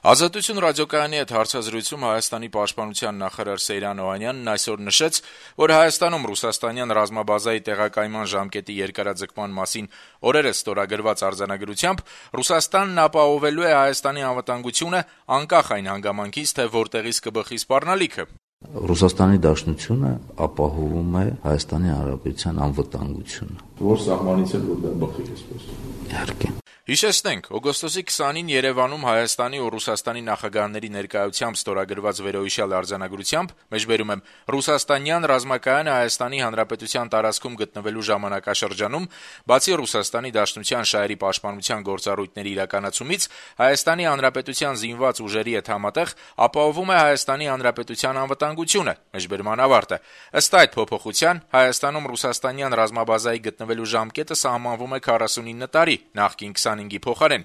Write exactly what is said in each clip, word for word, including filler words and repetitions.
Ազատություն ռադիոկայանի հետ հարցազրույցում Հայաստանի պաշտպանության նախարար Սեյրան Օհանյանն այսօր նշեց, որ Հայաստանում ռուսաստանյան ռազմաբազայի տեղակայման ժամկետի երկարաձգման մասին օրերս ստորագրված արձանագրությամբ Ռուսաստանն ապահովելու է Հայաստանի անվտանգությունը անկախ այն հանգամանքից, թե որտեղից կբխի սպառնալիքը։ Ռուսաստանի Դաշնությունը ապահովում է Հայաստանի Հանրապետության անվտանգությունը։ Որ սահմանից էլ որ դա բխի այսպես։ Իհարկե։ Հիշեցնենք, օգոստոսի քսանին Երևանում Հայաստանի ու Ռուսաստանի նախագահների ներկայությամբ ստորագրված վերոհիշյալ արձանագրությամբ, մեջբերում եմ, ռուսաստանյան ռազմակայանը Հայաստանի Հանրապետության տարածքում գտնվելու ժամանակաշրջանում, բացի Ռուսաստանի Դաշնության շահերի պաշտպանության գործառույթների իրականացումից, Հայաստանի Հանրապետության զինված ուժերի հետ համատեղ ապահովում է Հայաստանի Հանրապետության անվտանգությունը, մեջբերման ավարտը։ Ըստ այդ փոփոխության, Հայաստանում ռուսաստանյան ռազմաբազայի գտնվելու ժամկետը սահմանվում է քառասունինը տարի, նախկին քսանհինգի փոխարեն։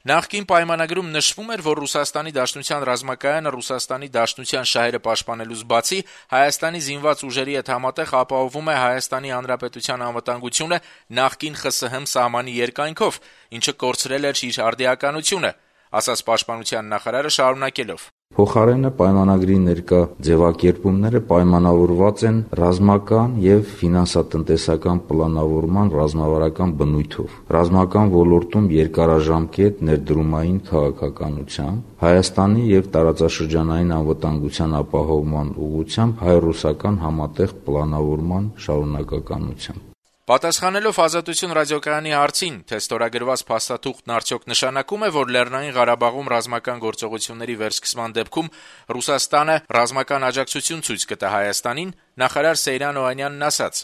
Նախկին պայմանագրում նշվում էր, որ Ռուսաստանի Դաշնության ռազմակայանը Ռուսաստանի Դաշնության շահերը պաշտպանելուց բացի Հայաստանի զինված ուժերի հետ համատեղ ապահովում է Հայաստանի Հանրապետության անվտանգությունը նախկին ԽՍՀՄ սահմանի երկայնքով, ինչը կորցրել էր իր արդիականությունը, ասաց պաշտպանության նախարարը շարունակելով. Փոխարենը պայմանագրի ներկա ձևակերպումները պայմանավորված են ռազմական եւ ֆինանսատնտեսական պլանավորման ռազմավարական բնույթով, ռազմական ոլորտում երկարաժամկետ ներդրումային քաղաքականությամբ, Հայաստանի եւ տարածաշրջանային անվտանգության ապահովման ուղղությամբ հայ-ռուսական համատեղ պլանավորման շարունակականությամբ։ Պատասխանելով Ազատություն ռադիոկայանի հարցին, թե ստորագրված փաստաթուղթն արդյոք նշանակում է, որ Լեռնային Ղարաբաղում ռազմական գործողությունների վերսկսման դեպքում Ռուսաստանը ռազմական աջակցություն ցույց կտա Հայաստանին, նախարար Սեյրան Օհանյանն ասաց.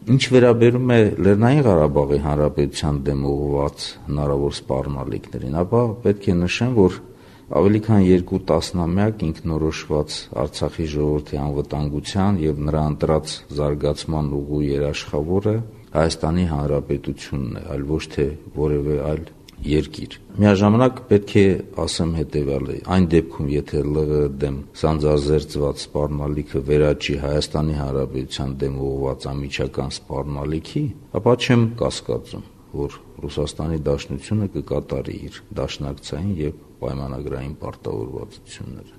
Ինչ վերաբերում է Լեռնային Ղարաբաղի Հանրապետության դեմ ուղղված հնարավոր սպառնալիքներին, ապա պետք է նշեմ, որ ավելի քան երկու տասնամյակ ինքնորոշված Արցախի ժողովրդի անվտանգության եւ նրա ընտրած զարգացման ուղու երաշխավորը Հայաստանի Հանրապետությունն է, այլ ոչ թե որևէ այլ երկիր։ Միաժամանակ պետք է ասեմ հետեւյալը. այն դեպքում, եթե ԼՂ դեմ սանձազերծված սպառնալիքը վերաճի Հայաստանի Հանրապետության դեմ ուղղված անմիջական սպառնալիքի, ապա չեմ կասկածում, որ Ռուսաստանի Դաշնությունը կկատարի իր դաշնակցային եւ պայմանագրային պարտավորվածությունները։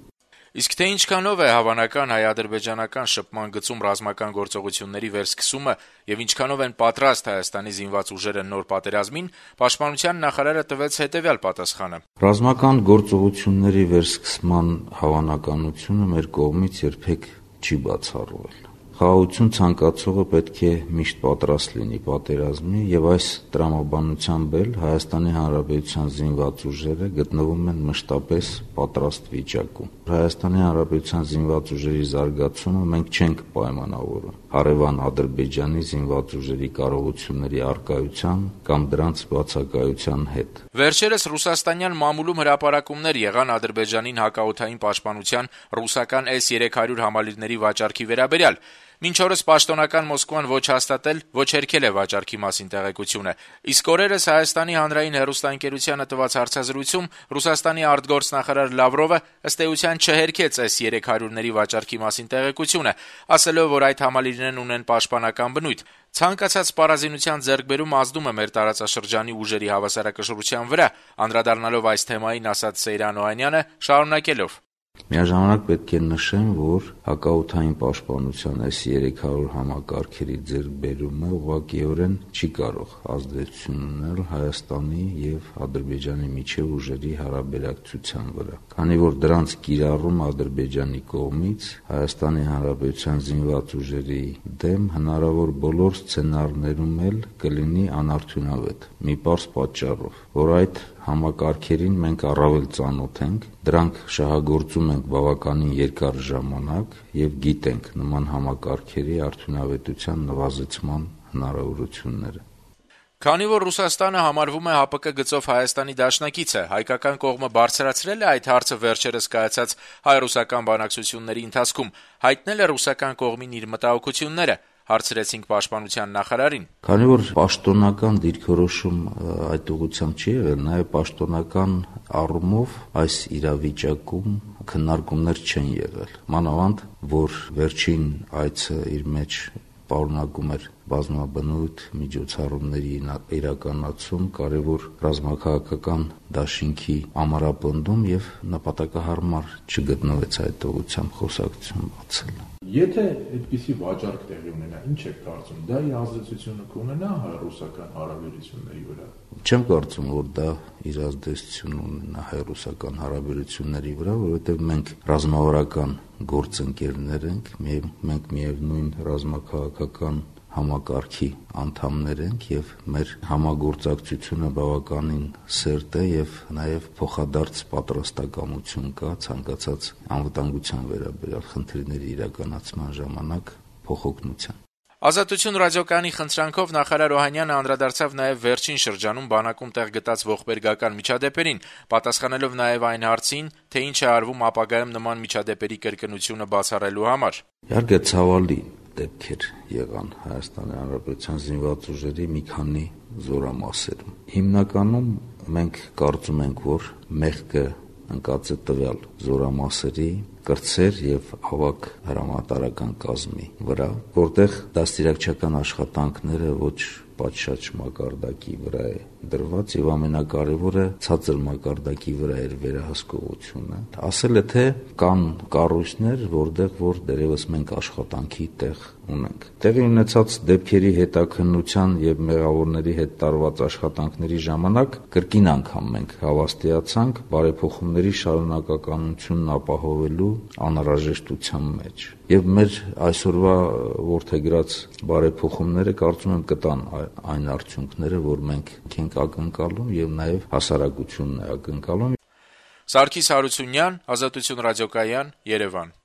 Իսկ թե ինչքանով է հավանական հայ-ադրբեջանական շփման գծում ռազմական գործողությունների վերսկսումը եւ ինչքանով են պատրաստ Հայաստանի զինված ուժերը նոր պատերազմին, պաշտպանության նախարարը տվեց հետեւյալ պատասխանը. Ռազմական գործողությունների վերսկսման հավանականությունը մեր կողմից երբեք չի բացառվել։ Խաղաղություն ցանկացողը պետք է միշտ պատրաստ լինի պատերազմի եւ այս տրամաբանությամբ էլ Հայաստանի Հանրապետության զինված ուժերը գտնվում են մշտապես պատրաստ վիճակում։ Հայաստանի Հանրապետության զինված ուժերի զարգացումը մենք չենք պայմանավորում հարևան Ադրբեջանի զինված ուժերի կարողությունների առկայության կամ դրանց բացակայության հետ։ Վերջերս ռուսաստանյան մամուլում հրապարակումներ եղան Ադրբեջանին հակաօդային պաշտպանության ռուսական էս երեք հարյուր համալիրների վաճառքի վերաբերյալ։ Մինչ օրս պաշտոնական Մոսկվան ոչ հաստատել, ոչ հերքել է վաճառքի մասին տեղեկությունը։ Իսկ օրերս Հայաստանի հանրային հեռուստաընկերությանը տված հարցազրույցում Ռուսաստանի արտգործնախարար Լավրովը ըստ էության չհերքեց էս երեք հարյուրների վաճառքի մասին տեղեկությունը, ասելով, որ այդ համալիրներն ունեն պաշտպանական բնույթ։ Ցանկացած սպառազինության ձեռքբերումը ազդում է մեր տարածաշրջանի ուժերի հավասարակշռության վրա, անդրադառնալով այս թեմային ասաց Սեյրան Օհանյանը, շարունակելով. Միաժամանակ պետք է նշեմ, որ հակաօդային պաշտպանության էս երեք հարյուր համակարգերի ձեռքբերումը ուղղակիորեն չի կարող ազդեցություն ունենալ Հայաստանի եւ Ադրբեջանի միջև ուժերի հարաբերակցության վրա, քանի որ դրանց կիրառումը Ադրբեջանի կողմից Հայաստանի Հանրապետության զինված ուժերի դեմ հնարավոր բոլոր սցենարներում էլ կլինի անարդյունավետ, մի պարզ պատճառով, որ այդ համակարգերին մենք առավել ծանոթ ենք, դրանք շահագործում ենք բավականին երկար ժամանակ եւ գիտենք նման համակարգերի արդյունավետության նվազեցման հնարավորությունները։ Քանի որ Ռուսաստանը համարվում է ՀԱՊԿ գծով Հայաստանի դաշնակիցը, հայկական կողմը բարձրացրել է այդ հարցը վերջերս կայացած հայ-ռուսական բանակցությունների ընթացքում, հայտնել է ռուսական կողմին իր մտահոգությունները, հարցրեցինք պաշտպանության նախարարին։ Քանի որ պաշտոնական դիրքորոշում այդ ուղղությամբ չի եղել, նաև պաշտոնական առումով այս իրավիճակում քննարկումներ չեն եղել։ Մանավանդ, որ վերջին այցը իր մեջ պարունակում էր բազմաբնույթ միջոցառումների իրականացում, կարևոր ռազմաքաղաքական դաշինքի ամրապնդում եւ նպատակահարմար չգտնվեց այդ ուղղությամբ խոսակցություն բացել։ Եթե այդպիսի վաճառք տեղի ունենա, ինչ եք կարծում, դա իր ազդեցությունը կունենա հայ-ռուսական հարաբերությունների վրա։ Չեմ կարծում, որ դա իր ազդեցություն ունենա հայ-ռուսական հարաբերությունների վրա, որովհետեւ մենք ռազմավարական գործընկերներ ենք, մենք միևնույն ռազմաքաղաքական համակարգի անդամներ ենք եւ մեր համագործակցությունը բավականին սերտ է եւ նաեւ փոխադարձ պատրաստակամություն կա ցանկացած անվտանգության վերաբերյալ խնդիրների իրականացման ժամանակ փոխօգնության։ Ազատություն ռադիոկայանի խնդրանքով նախարար Օհանյանը անդրադարձավ նաև վերջին շրջանում բանակում տեղ գտած ողբերգական միջադեպերին, պատասխանելով նաև այն հարցին, թե ինչ է արվում ապագայում նման միջադեպերի կրկնությունը բացառելու համար։ Իհարկե ցավալի դեպքեր եղան Հայաստանի Հանրապետության զինված ուժերի մի քանի զորամասերում։ Հիմնականում մենք կարծում ենք, որ մեղքը ընկած է տվյալ զորամասերի կրտսեր եւ ավագ հրամանատարական կազմի վրա, որտեղ դաստիարակչական աշխատանքները ոչ պատշաճ մակարդակի վրա է դրված եւ ամենակարևորը ցածր մակարդակի վրա էր վերահսկողությունը։ Ասել է թե կան կառույցներ, որտեղ որ դերևս մենք աշխատանքի տեղ ունենք։ Տեղի ունեցած դեպքերի հետաքննության եւ մեղավորների հետ տարված աշխատանքների ժամանակ կրկին անգամ մենք հավաստիացանք բարեփոխումների շարունակականությունն ապահովելու անհրաժեշտության մեջ։ Եվ մեր այսօրվա որդեգրած բարեփոխումները կարծում եմ կտան այն արդյունքները, որ մենք ենք ակնկալում եւ նաեւ հասարակությունն է ակնկալում։ Սարգիս Հարությունյան, Ազատություն ռադիոկայան, Երևան։